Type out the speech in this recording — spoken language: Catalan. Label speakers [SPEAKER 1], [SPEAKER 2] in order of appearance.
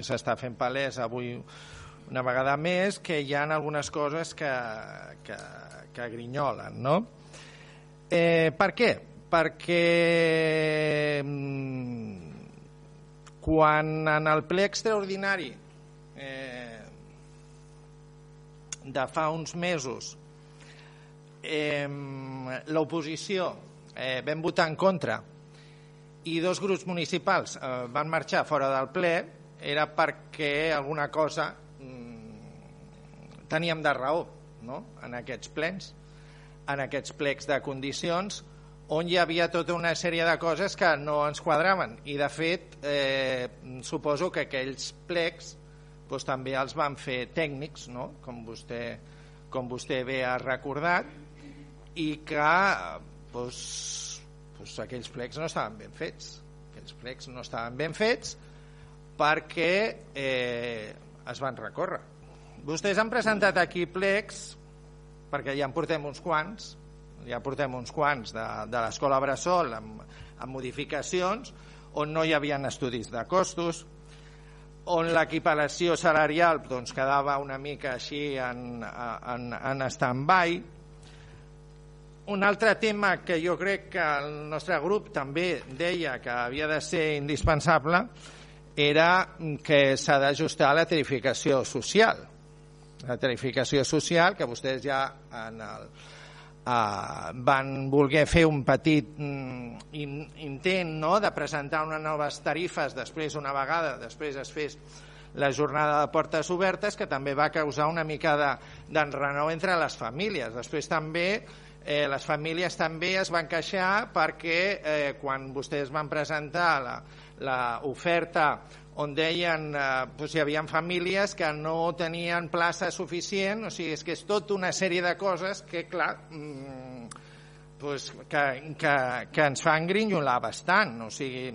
[SPEAKER 1] s'està fent palès avui una vegada més que hi ha algunes coses que grinyolen, no? Per què? Perquè quan en el ple extraordinari de fa uns mesos l'oposició vam votar en contra i 2 grups municipals van marxar fora del ple, era perquè alguna cosa teníem de raó, no? En aquests plens, en aquests plecs de condicions, on hi havia tota una sèrie de coses que no ens quadraven. I, de fet, suposo que aquells plecs també els van fer tècnics, no? Com vostè bé ha recordat, i que aquells plecs no estaven ben fets. Aquells plecs no estaven ben fets perquè es van recórrer. Vostès han presentat aquí plecs, perquè ja en portem uns quants, de l'Escola Bressol amb modificacions, on no hi havia estudis de costos, on l'equiparació salarial quedava una mica així en stand-by. Un altre tema que jo crec que el nostre grup també deia que havia de ser indispensable era que s'ha d'ajustar la tarificació social. La tarificació social, que vostès ja van voler fer un petit intent, no?, de presentar unes noves tarifes després es fes la jornada de portes obertes, que també va causar una mica d'enrenou entre les famílies. Després també les famílies també es van queixar perquè quan vostès van presentar l'oferta on deien que hi havia famílies que no tenien plaça suficient, o sigui, és que és tota una sèrie de coses que, clar, que ens fan grinyolar bastant, o sigui,